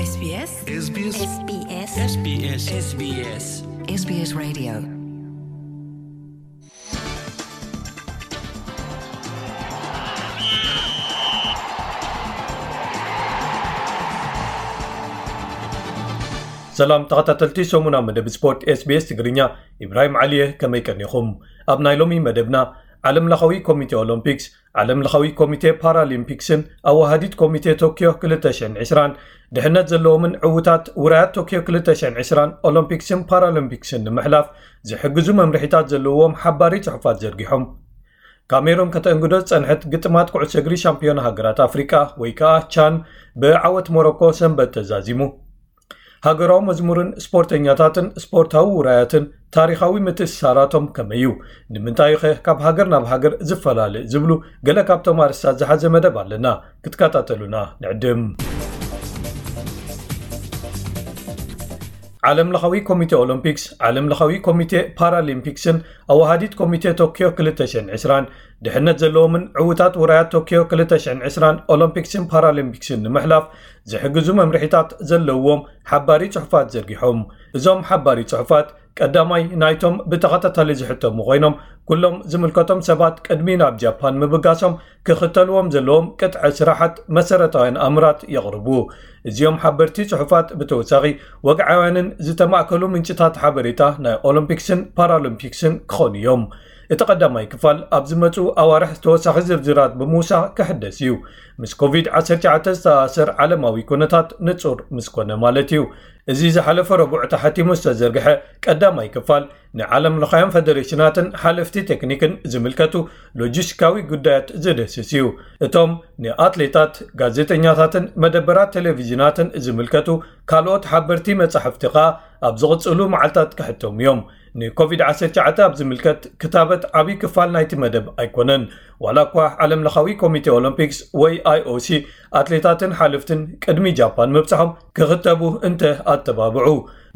SBS SBS SBS SBS SBS SBS Radio. ሰላም ተኸታተልቲ ሰሙና መደብ ስፖርት SBS ትግርኛ፣ ኢብራሂም ዓሊየ፣ ከመይ ቀኒኹም? ኣብ ናይ ሎሚ መደብና፣ ዓለም ለኻዊ ኮሚቴ ኦሎምፒክስ፣ ዓለም ለኻዊ ኮሚቴ ፓራሊምፒክስን ኣዋሃዲት ኮሚቴ ቶኪዮ ክልተ ሽሕን ዕስራን ድሕነት ዘለዎምን ዕዉታት ውራያት ቶኪዮ ክልተ ሽሕን ዕስራን ኦሎምፒክስን ፓራሊምፒክስን ንምሕላፍ ዝሕግዙ መምርሒታት ዘለዎም ሓባሪ ጽሑፋት ዘርጊሖም። ካሜሩን ከተእንግዶ ዝጸንሐት ግጥማት ኩዕሶ እግሪ ሻምፒዮን ሃገራት ኣፍሪቃ ወይ ከኣ ቻን ብዓወት ሞሮኮ ሰንበት ተዛዚሙ። ሃገራዊ መዝሙርን ስፖርተኛታትን ስፖርታዊ ውራያትን ታሪኻዊ ምትእስሳራቶም ከመይ እዩ? ንምንታይ ኸ ካብ ሃገር ናብ ሃገር ዝፈላለ? ዝብሉ ገለ ካብቶም ኣርእስታት ዝሓዘ መደብ ኣለና። ክትከታተሉና ንዕድም። ዓለም ለኻዊ ኮሚቴ ኦሎምፒክስ፣ ዓለም ለኻዊ ኮሚቴ ፓራሊምፒክስን ኣዋሃዲት ኮሚቴ ቶኪዮ ክልተ ሽሕን ዕስራን ድሕነት ዘለዎምን ዕዉታት ውራያት ቶኪዮ ክልተ ሽሕን ዕስራን ኦሎምፒክስን ፓራሊምፒክስን ንምሕላፍ ዝሕግዙ መምርሒታት ዘለዎም ሓባሪ ጽሑፋት ዘርጊሖም። እዞም ሓባሪ ጽሑፋት ቀዳማይ ናይቶም ብተኸታታሊ ዝሕተሙ ኮይኖም፣ ኩሎም ዝምልከቶም ሰባት ቅድሚ ናብ ጃፓን ምብጋሶም ክኽተልዎም ዘለዎም ቅጥዒ ስራሓት መሰረታውያን ኣምራት የቕርቡ። እዚኦም ሓበርቲ ጽሑፋት ብተወሳኺ ወግዓውያንን ዝተማእከሉ ምንጭታት ሓበሬታ ናይ ኦሎምፒክስን ፓራሊምፒክስን ክኾኑ እዮም። እቲ ቀዳማይ ክፋል ኣብ ዝመጹ ኣዋርሕ ተወሳኺ ዝርዝራት ብምውሳኽ ክሕደስ እዩ። ምስ ኮቪድ ዓሰርተ ትሽዓተ ዝተኣሳሰር ዓለማዊ ኩነታት ንጹር ምስ ኮነ ማለት እዩ። እዚ ዝሓለፈ ረቡዕ ተሓቲሙ ዝተዘርግሐ ቀዳማይ ክፋል ንዓለም ለኻውያን ፈደሬሽናትን ሓለፍቲ ቴክኒክን ዝምልከቱ ሎጂስቲካዊ ጉዳያት ዝድህስስ እዩ። እቶም ንኣትሌታት፣ ጋዜጠኛታትን መደበራት ቴሌቪዥናትን ዝምልከቱ ካልኦት ሓበርቲ መጻሕፍቲ ከኣ ኣብ ዝቕጽሉ መዓልታት ክሕተሙ እዮም። ንኮቪድ ዓሰርተ ትሽዓተ ኣብ ዝምልከት ክታበት ዓብዪ ክፋል ናይቲ መደብ ኣይኮነን። ዋላ እኳ ዓለም ለኻዊ ኮሚቴ ኦሎምፒክስ ወይ ኣይኦሲ ኣትሌታትን ሓለፍትን ቅድሚ ጃፓን ምብጽሖም ክኽተቡ እንተ ኣተባብዑ፣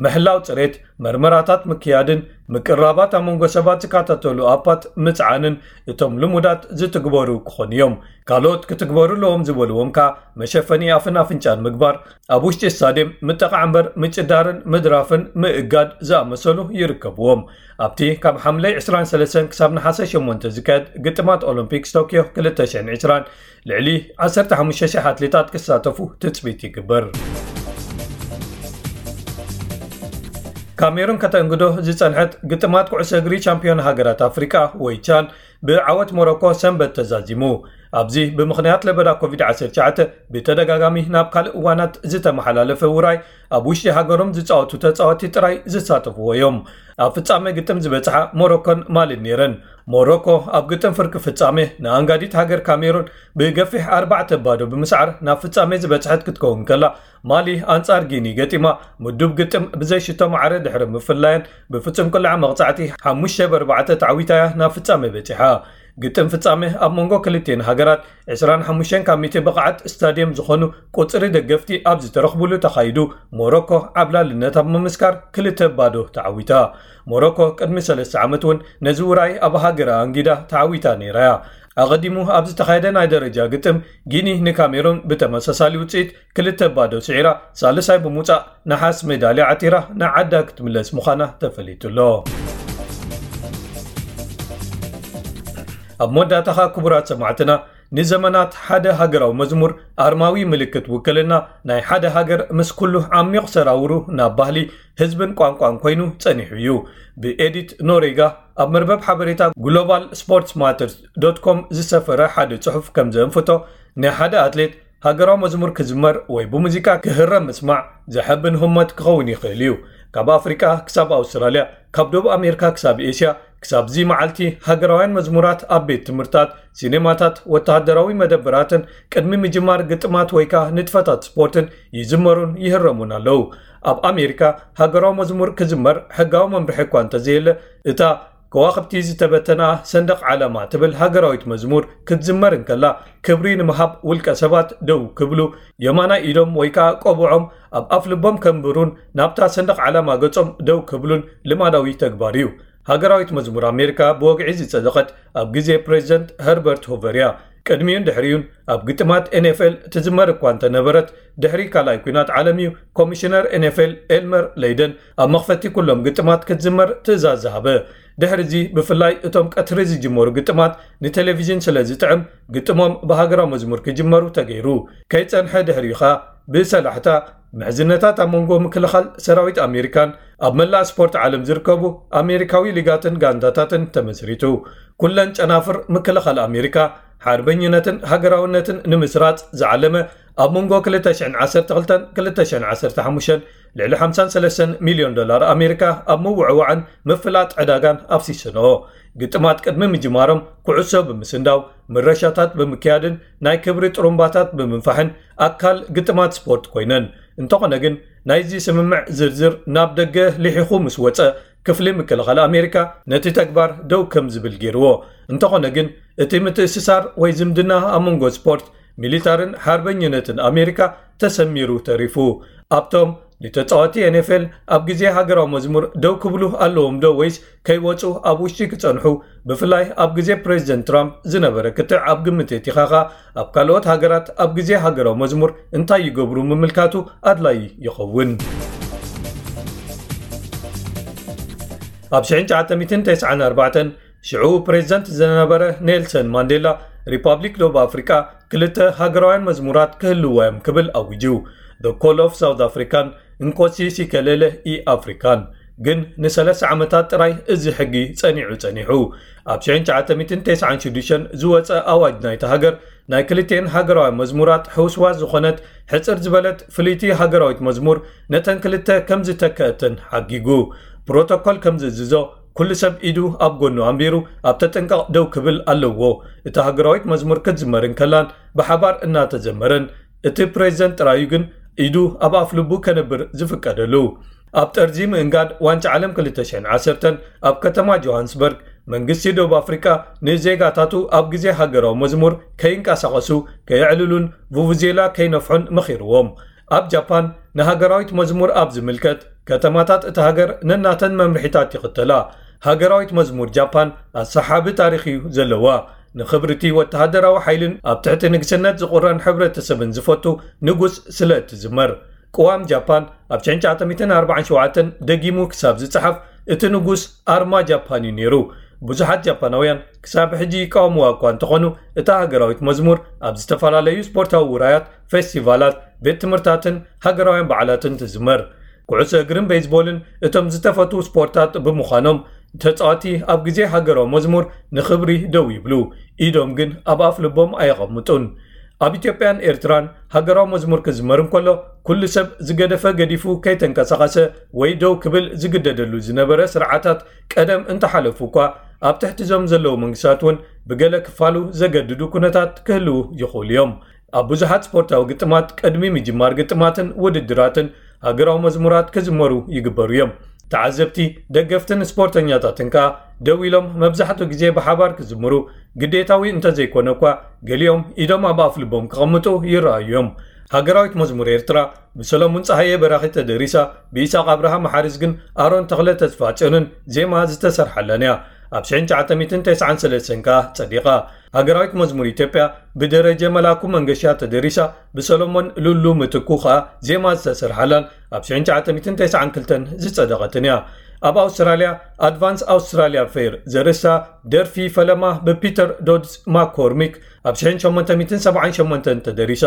ምሕላው ጽሬት፣ መርመራታት ምክያድን ምቅራባት ኣብ መንጎ ሰባት ዝከታተሉ ኣፓት ምጽዓንን እቶም ልሙዳት ዝትግበሩ ክኾኑ እዮም። ካልኦት ክትግበሩ ኣለዎም ዝበልዎም ከኣ መሸፈኒ ኣፍን ኣፍንጫን ምግባር፣ ኣብ ውሽጢ ስታድየም ምጥቓዕ እምበር ምጭዳርን ምድራፍን ምእጋድ ዝኣመሰሉ ይርከብዎም። ኣብቲ ካብ ሓምለ ዕስራን ሰለስተን ክሳብ ነሓሰ ሸሞንተ ዝካየድ ግጥማት ኦሎምፒክስ ቶኪዮ ክልተ ሽሕን ዕስራን ልዕሊ ዓሰርተ ሓሙሽተ ሽሕ ኣትሌታት ክሳተፉ ትጽቢት ይግበር። ካሜሩን ከተእንግዶ ዝጸንሐት ግጥማት ኩዕሶ እግሪ ቻምፒዮን ሃገራት ኣፍሪቃ ወይ ቻን ብዓወት ሞሮኮ ሰንበት ተዛዚሙ። ኣብዚ ብምኽንያት ለበዳ ኮቪድ ዓሰርተ ትሽዓተ ብተደጋጋሚ ናብ ካልእ እዋናት ዝተመሓላለፈ ውራይ ኣብ ውሽጢ ሃገሮም ዝጻወቱ ተጻወቲ ጥራይ ዝሳተፍዎ እዮም። ኣብ ፍጻሜ ግጥም ዝበጽሓ ሞሮኮን ማሊን ነይረን። ሞሮኮ ኣብ ግጥም ፍርቂ ፍጻሜ ንኣንጋዲት ሃገር ካሜሩን ብገፊሕ ኣርባዕተ ባዶ ብምስዓር ናብ ፍጻሜ ዝበጽሐት ክትከውን ከላ፣ ማሊ ኣንጻር ጊኒ ገጢማ ምዱብ ግጥም ብዘይ ሽቶ ማዕረ ድሕሪ ምፍላየን ብፍጹም ቅልዓ መቕጻዕቲ ሓሙሽተ ብ ኣርባዕተ ተዓዊታ እያ ናብ ፍጻሜ በጺሓ። ግጥም ፍጻሜ ኣብ መንጎ ክልቲኤን ሃገራት ዕስራን ሓሙሽተን ካብ ሚእቲ ብቕዓት ስታድየም ዝኾኑ ቁጽሪ ደገፍቲ ኣብ ዝተረኽቡሉ ተኻይዱ፣ ሞሮኮ ዓብላልነት ኣብ ምምስካር ክልተ ባዶ ተዓዊታ። ሞሮኮ ቅድሚ ሰለስተ ዓመት እውን ነዚ ውራይ ኣብ ሃገራ ኣንጊዳ ተዓዊታ ነይራ እያ። ኣቐዲሙ ኣብ ዝተኻየደ ናይ ደረጃ ግጥም ጊኒ ንካሜሩን ብተመሳሳሊ ውጽኢት ክልተ ባዶ ስዒራ ሳልሳይ ብምውጻእ ነሓስ ሜዳልያ ዓቲራ ንዓዳ ክትምለስ ምዃና ተፈሊጡ ኣሎ። ኣብ መወዳእታ ኸኣ ክቡራት ሰማዕትና፣ ንዘመናት ሓደ ሃገራዊ መዝሙር ኣርማዊ ምልክት ውክልና ናይ ሓደ ሃገር ምስ ኩሉ ዓሚቕ ሰራውሩ ናብ ባህሊ፣ ህዝብን ቋንቋን ኮይኑ ጸኒሑ እዩ። ብኤዲት ኖሬጋ ኣብ መርበብ ሓበሬታ ግሎባል ስፖርትስ ማተርስ ዶት ኮም ዝሰፈረ ሓደ ጽሑፍ ከም ዘንፍቶ፣ ንሓደ ኣትሌት ሃገራዊ መዝሙር ክዝመር ወይ ብሙዚቃ ክህረም ምስማዕ ዘሐብን ህሞት ክኸውን ይኽእል እዩ። ካብ ኣፍሪቃ ክሳብ ኣውስትራልያ፣ ካብ ደቡብ ኣሜሪካ ክሳብ ኤስያ፣ ክሳብ እዚ መዓልቲ ሃገራውያን መዝሙራት ኣብ ቤት ትምህርታት፣ ሲኔማታት፣ ወተሃደራዊ መደበራትን ቅድሚ ምጅማር ግጥማት ወይ ከኣ ንጥፈታት ስፖርትን ይዝመሩን ይህረሙን ኣለዉ። ኣብ ኣሜሪካ ሃገራዊ መዝሙር ክዝመር ሕጋዊ መምርሒ እኳ እንተዘየለ፣ እታ ከዋኽብቲ ዝተበተና ሰንደቕ ዓላማ ትብል ሃገራዊት መዝሙር ክትዝመር እንከላ፣ ክብሪ ንምሃብ ውልቀ ሰባት ደው ክብሉ፣ የማናይ ኢዶም ወይ ከኣ ቆብዖም ኣብ ኣፍ ልቦም ከንብሩን ናብታ ሰንደቕ ዓላማ ገጾም ደው ክብሉን ልማዳዊ ተግባር እዩ። ሃገራዊት መዝሙር ኣሜሪካ ብወግዒ ዝጸደቐት ኣብ ግዜ ፕሬዚደንት ኸርበርት ሁቨር እያ። ቅድሚኡን ድሕሪኡን ኣብ ግጥማት ኤንኤፍኤል ትዝመር እኳ እንተነበረት፣ ድሕሪ ካልኣይ ኲናት ዓለም እዩ ኮሚሽነር ኤንኤፍኤል ኤልመር ለይደን ኣብ መኽፈቲ ኩሎም ግጥማት ክትዝመር ትእዛዝ ዝሃበ። ድሕሪ እዚ ብፍላይ እቶም ቀትሪ ዝጅመሩ ግጥማት ንቴሌቪዥን ስለ ዝጥዕም፣ ግጥሞም ብሃገራዊ መዝሙር ክጅመሩ ተገይሩ። ከይጸንሐ ድሕሪኡ ኸኣ ብሰላሕታ ምሕዝነታት ኣብ መንጎ ምክልኻል ሰራዊት ኣሜሪካን ኣብ መላእ ስፖርት ዓለም ዝርከቡ ኣሜሪካዊ ሊጋትን ጋንታታትን ተመስሪቱ። ኩለን ጨናፍር ምክልኻል ኣሜሪካ ሓርበኝነትን ሃገራውነትን ንምስራጽ ዝዓለመ ኣብ መንጎ ክልተ ሽሕን ዓሰርተ ክልተን ክልተ ሽሕን ዓሰርተ ሓሙሽተን ልዕሊ ሓምሳን ሰለስተን ሚልዮን ዶላር ኣሜሪካ ኣብ ምውዕዋዕን ምፍላጥ ዕዳጋን ኣፍሲሰንኦ። ግጥማት ቅድሚ ምጅማሮም ኩዕሶ ብምስንዳው፣ ምረሻታት ብምክያድን ናይ ክብሪ ጥሩምባታት ብምንፋሕን ኣካል ግጥማት ስፖርት ኮይነን። እንተኾነ ግን ናይዚ ስምምዕ ዝርዝር ናብ ደገ ልሒኹ ምስ ወጸ፣ ክፍሊ ምክልኻል ኣሜሪካ ነቲ ተግባር ደው ከም ዝብል ገይርዎ። እንተኾነ ግን እቲ ምትእስሳር ወይ ዝምድና ኣብ መንጎ ስፖርት፣ ሚሊታርን ሓርበኝነትን ኣሜሪካ ተሰሚሩ ተሪፉ። ኣብቶም ንተጻወቲ ኤንኤፍኤል ኣብ ግዜ ሃገራዊ መዝሙር ደው ክብሉ ኣለዎም ዶ ወይስ ከይወጹ ኣብ ውሽጢ ክጸንሑ፣ ብፍላይ ኣብ ግዜ ፕሬዚደንት ትራምፕ ዝነበረ ክትዕ ኣብ ግምት የእቲኻኻ፣ ኣብ ካልኦት ሃገራት ኣብ ግዜ ሃገራዊ መዝሙር እንታይ ይገብሩ ምምልካቱ ኣድላዪ ይኸውን። ኣብ ሽሕን ትሽዓተ ሚእትን ተስዓን ኣርባዕተን ሽዑ ፕሬዚደንት ዝነበረ ኔልሰን ማንዴላ፣ ሪፓብሊክ ደቡብ ኣፍሪቃ ክልተ ሃገራውያን መዝሙራት ክህልዋ እዮም ክብል ኣዊጁ። The Call of South African፣ እንኮሲ ሲከሌለ ኢ ኣፍሪካን። ግን ንሰለስተ ዓመታት ጥራይ እዚ ሕጊ ጸኒዑ ጸኒሑ። ኣብ ሽሕን ትሽዓተ ሚእትን ተስዓን ሽዱሽተን ዝወጸ ኣዋጅ ናይታ ሃገር፣ ናይ ክልቲኤን ሃገራውያን መዝሙራት ሕውስዋስ ዝኾነት ሕጽር ዝበለት ፍልይቲ ሃገራዊት መዝሙር ነተን ክልተ ከም ዝተከአተን ሓጊጉ። ፕሮቶኮል ከም ዝእዝዞ፣ ኩሉ ሰብ ኢዱ ኣብ ጎኑ ኣንቢሩ ኣብ ተጠንቀቕ ደው ክብል ኣለዎ። እታ ሃገራዊት መዝሙር ክትዝመር እንከላን ብሓባር እናተዘመረን፣ እቲ ፕሬዚደንት ጥራዩ ግን ኢዱ ኣብ ኣፍ ልቡ ከነብር ዝፍቀደሉ። ኣብ ጠርዚ ምእንጋድ ዋንጫ ዓለም ክልተ ሽሕን ዓሰርተን ኣብ ከተማ ጆሃንስበርግ፣ መንግስቲ ደቡብ ኣፍሪቃ ንዜጋታቱ ኣብ ግዜ ሃገራዊ መዝሙር ከይንቀሳቐሱ፣ ከየዕልሉን ቡቡዜላ ከይነፍሑን መኺርዎም። ኣብ ጃፓን ንሃገራዊት መዝሙር ኣብ ዝምልከት፣ ከተማታት እታ ሃገር ነናተን መምርሒታት ይኽተላ። ሃገራዊት መዝሙር ጃፓን ኣሰሓቢ ታሪኽ እዩ ዘለዋ። ንኽብርቲ ወተሃደራዊ ሓይልን ኣብ ትሕቲ ንግስነት ዝቑረን ሕብረተሰብን ዝፈቱ ንጉስ ስለ እትዝመር። ቅዋም ጃፓን ኣብ ሽሕን ትሽዓተ ሚእትን ኣርባዓን ሸውዓተን ደጊሙ ክሳብ ዝጸሓፍ፣ እቲ ንጉስ ኣርማ ጃፓን እዩ ነይሩ። ብዙሓት ጃፓናውያን ክሳብ ሕጂ ይቃወምዋ እኳ እንተኾኑ፣ እታ ሃገራዊት መዝሙር ኣብ ዝተፈላለዩ ስፖርታዊ ውራያት፣ ፌስቲቫላት፣ ቤት ትምህርታትን ሃገራውያን በዓላትን ትዝመር። ኩዕሶ እግርን ቤዝቦልን እቶም ዝተፈትዉ ስፖርታት ብምዃኖም፣ ተጻወቲ ኣብ ግዜ ሃገራዊ መዝሙር ንኽብሪ ደው ይብሉ፣ ኢዶም ግን ኣብ ኣፍ ልቦም ኣየቐምጡን። ኣብ ኢትዮጵያን ኤርትራን ሃገራዊ መዝሙር ክዝመር እንከሎ፣ ኩሉ ሰብ ዝገደፈ ገዲፉ ከይተንቀሳቐሰ ወይ ደው ክብል ዝግደደሉ ዝነበረ ስርዓታት ቀደም እንተሓለፉ እኳ፣ ኣብ ትሕቲ እዞም ዘለዉ መንግስታት እውን ብገለ ክፋሉ ዘገድዱ ኩነታት ክህልዉ ይኽእሉ እዮም። ኣብ ብዙሓት ስፖርታዊ ግጥማት ቅድሚ ምጅማር ግጥማትን ውድድራትን ሃገራዊ መዝሙራት ክዝመሩ ይግበሩ እዮም። ተዓዘብቲ፣ ደገፍትን ስፖርተኛታትን ከኣ ደው ኢሎም መብዛሕትኡ ግዜ ብሓባር ክዝምሩ ግዴታዊ እንተዘይኮነ እኳ፣ ገሊኦም ኢዶም ኣብ ኣፍ ልቦም ክቐምጡ ይረኣዩ እዮም። ሃገራዊት መዝሙር ኤርትራ ብሰሎሙን ጸሃየ በራኺ ተደሪሳ፣ ብኢሳቕ ኣብርሃ መሓርዝ ግን ኣሮን ተኽለ ተስፋጽዮንን ዜማ ዝተሰርሓላን እያ። ኣብ ሽሕን ትሽዓተ ሚእትን ተስዓን ሰለስተን ከኣ ጸዲቓ። ሃገራዊት መዝሙር ኢትዮጵያ ብደረጀ መላኩ መንገሻ ተደሪሳ፣ ብሰሎሞን ሉሉ ምትኩ ከኣ ዜማ ዝተሰርሓላን ኣብ ሽሕን ትሽዓተ ሚእትን ተስዓን ክልተን ዝጸደቐትን እያ። ኣብ ኣውስትራልያ፣ ኣድቫንስ ኣውስትራልያ ፌር ዘርእስታ ደርፊ ፈለማ ብፒተር ዶድስ ማኮርሚክ ኣብ ሽሕን ሸሞንተ ሚእትን ሰብዓን ሸሞንተን ተደሪሳ።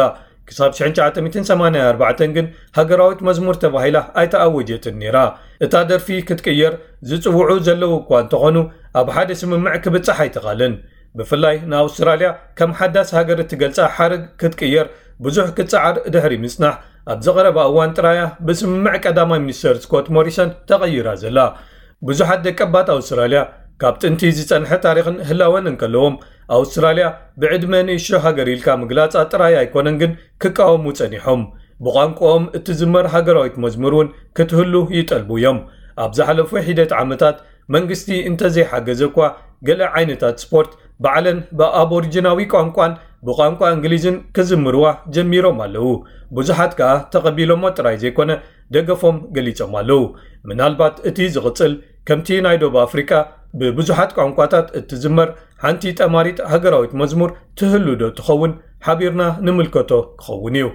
ክሳብ ሽሕን ትሽዓተ ሚእትን ሰማንያን ኣርባዕተን ግን ሃገራዊት መዝሙር ተባሂላ ኣይተኣወጀትን ነይራ። እታ ደርፊ ክትቅየር ዝጽውዑ ዘለዉ እኳ እንተኾኑ፣ ኣብ ሓደ ስምምዕ ክብጻሕ ኣይተኻልን። ብፍላይ ንኣውስትራልያ ከም ሓዳስ ሃገር እትገልጻ ሓረግ ክትቅየር ብዙሕ ክትጽዓር ድሕሪ ምጽናሕ፣ ኣብዚ ቀረባ እዋን ጥራያ ብስምምዕ ቀዳማይ ሚኒስተር ስኮት ሞሪሰን ተቐይራ ዘላ። ብዙሓት ደቀባት ኣውስትራልያ ካብ ጥንቲ ዝጸንሐ ታሪኽን ህላወን እንከለዎም፣ ኣውስትራልያ ብዕድመ ንእሽቶ ሃገር ኢልካ ምግላጻ ጥራይ ኣይኮነን ግን ክቃወሙ ጸኒሖም። ብቋንቋኦም እትዝመር ሃገራዊት መዝሙር እውን ክትህሉ ይጠልቡ እዮም። ኣብ ዝሓለፉ ሒደት ዓመታት መንግስቲ እንተዘይሓገዘ እኳ፣ ገለ ዓይነታት ስፖርት ባዕለን ብኣቦሪጂናዊ ቋንቋን ብቋንቋ እንግሊዝን ክዝምርዋ ጀሚሮም ኣለዉ። ብዙሓት ከኣ ተቐቢሎሞ ጥራይ ዘይኮነ፣ ደገፎም ገሊጾም ኣለዉ። ምናልባት እቲ ዝቕጽል ከምቲ ናይ ደቡብ ኣፍሪቃ ብብዙሓት ቋንቋታት እትዝመር ሓንቲ ጠማሪት ሃገራዊት መዝሙር ትህሉ ዶ ትኸውን? ሓቢርና ንምልከቶ ክኸውን እዩ።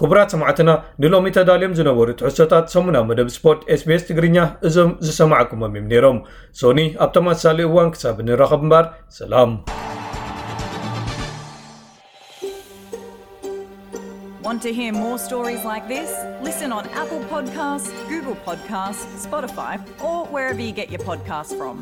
ክቡራት ሰማዕትና፣ ንሎሚ ተዳልዮም ዝነበሩ ትሕዝቶታት ሰሙናዊ መደብ ስፖርት SBS ትግርኛ እዞም ዝሰማዕኩሞም እዮም ነይሮም። ሶኒ ኣብ ተመሳሳሊ እዋን ክሳብ ንራኸብ እምበር፣ ሰላም። Want to hear more stories like this? Listen on Apple Podcasts, Google Podcasts, Spotify, or wherever you get your podcasts from.